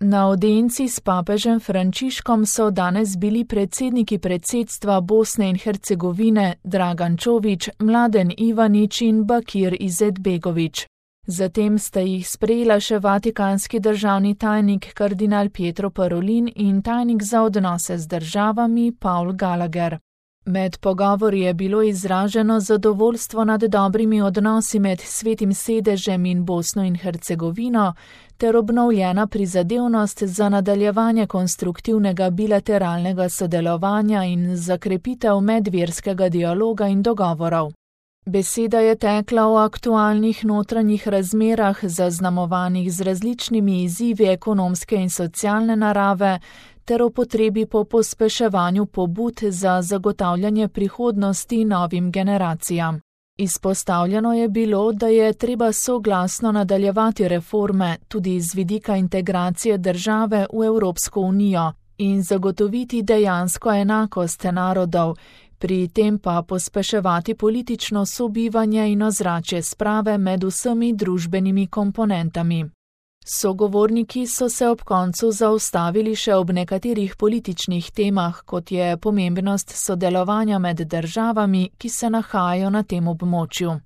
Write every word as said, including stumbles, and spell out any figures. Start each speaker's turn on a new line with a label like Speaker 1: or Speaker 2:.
Speaker 1: Na audienci s papežem Frančiškom so danes bili predsedniki predsedstva Bosne in Hercegovine Dragan Čović, Mladen Ivanić in Bakir Izetbegović. Zatem sta jih sprejela še vatikanski državni tajnik kardinal Pietro Parolin in tajnik za odnose z državami Paul Gallagher. Med pogovori je bilo izraženo zadovoljstvo nad dobrimi odnosi med Svetim sedežem in Bosno in Hercegovino ter obnovljena prizadevnost za nadaljevanje konstruktivnega bilateralnega sodelovanja in za krepitev medverskega dialoga in dogovorov. Beseda je tekla o aktualnih notranjih razmerah, zaznamovanih z različnimi izzivi ekonomske in socialne narave, ter o potrebi po pospeševanju pobud za zagotavljanje prihodnosti novim generacijam. Izpostavljeno je bilo, da je treba soglasno nadaljevati reforme tudi z vidika integracije države v Evropsko unijo in zagotoviti dejansko enakost narodov, pri tem pa pospeševati politično sobivanje in ozračje sprave med vsemi družbenimi komponentami. Sogovorniki so se ob koncu zaustavili še ob nekaterih političnih temah, kot je pomembnost sodelovanja med državami, ki se nahajajo na tem območju.